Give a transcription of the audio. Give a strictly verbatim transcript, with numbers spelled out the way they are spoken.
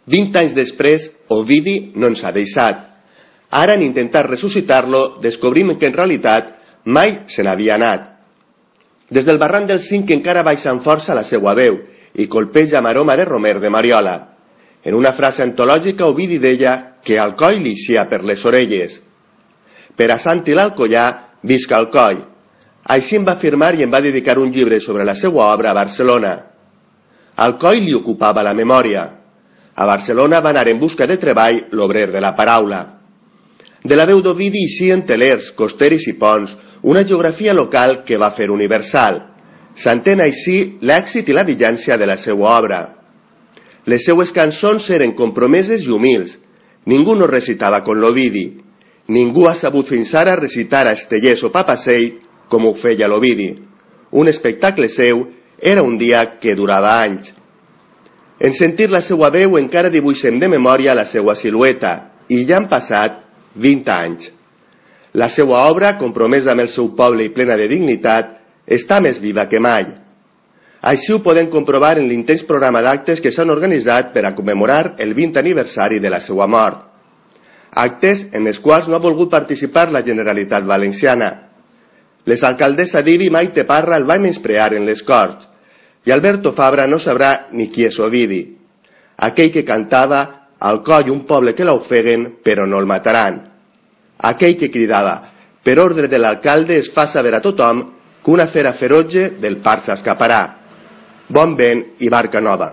Vint anys després, Ovidi no ens ha deixat. Ara, en intentar ressuscitar-lo, descobrim que en realitat mai se n'havia anat. Des del barranc del Cinc encara baixa amb força la seva veu i colpeja amb aroma de romer de Mariola. En una frase antològica, Ovidi deia que Alcoi li ixia per les orelles. Per a Sant l'Alcoià, visca Alcoi. Així em va afirmar i em va dedicar un llibre sobre la seva obra a Barcelona. Alcoi li ocupava la memòria. A Barcelona va anar en busca de treball l'obrer de la paraula. De la veu d'Ovidi ixien telers, costeris i ponts, una geografia local que va fer universal. S'entén així l'èxit i la vigència de la seva obra. Les seues cançons eren compromeses i humils. Ningú no recitava com l'Ovidi. Ningú ha sabut fins ara recitar a Estellés o Papasei com ho feia l'Ovidi. Un espectacle seu era un dia que durava anys. En sentir la seva veu encara dibuixem de memòria la seva silueta, i ja han passat vint anys. La seva obra, compromesa amb el seu poble i plena de dignitat, està més viva que mai. Així ho podem comprovar en l'intens programa d'actes que s'han organitzat per a commemorar el vint aniversari de la seva mort. Actes en els quals no ha volgut participar la Generalitat Valenciana. L'exalcaldessa d'Ibi, Maite Parra, el va menysprear en les Corts, i Alberto Fabra no sabrà ni qui és Ovidi. Aquell que cantava «Alcoi, un poble que l'ofeguen, però no el mataran». Aquell que cridava «Per ordre de l'alcalde es fa saber a tothom que una fera ferotge del parc s'escaparà». Bon vent i barca nova.